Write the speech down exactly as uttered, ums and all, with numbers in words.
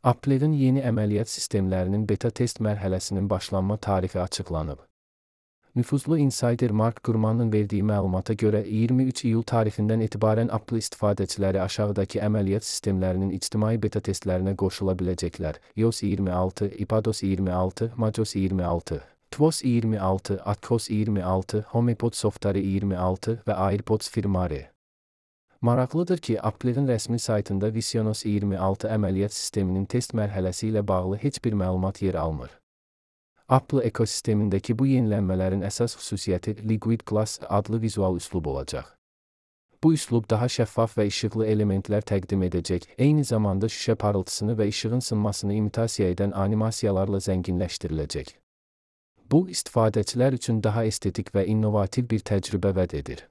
Apple'in yeni əməliyyat sistemlərinin beta test mərhələsinin başlanma tarixi açıqlanıb. Nüfuzlu insider Mark Gurman'ın verdiyi məlumata görə iyirmi üç iyul tarixindən etibarən Apple istifadəçiləri aşağıdakı əməliyyat sistemlərinin ictimai beta testlərinə qoşula biləcəklər: iOS iyirmi altı, iPadOS iyirmi altı, macOS iyirmi altı, tvOS iyirmi altı, atCOS iyirmi altı, HomePod softları iyirmi altı və AirPods firmware. Maraqlıdır ki, Apple'in rəsmi saytında visionos iyirmi altı əməliyyat sisteminin test mərhələsi ilə bağlı heç bir məlumat yer almır. Apple ekosistemindəki bu yenilənmələrin əsas xüsusiyyəti Liquid Glass adlı vizual üslub olacaq. Bu üslub daha şəffaf və işıqlı elementlər təqdim edəcək, eyni zamanda şüşə parıltısını və işığın sınmasını imitasiya edən animasiyalarla zənginləşdiriləcək. Bu, istifadəçilər üçün daha estetik və innovativ bir təcrübə vəd edir.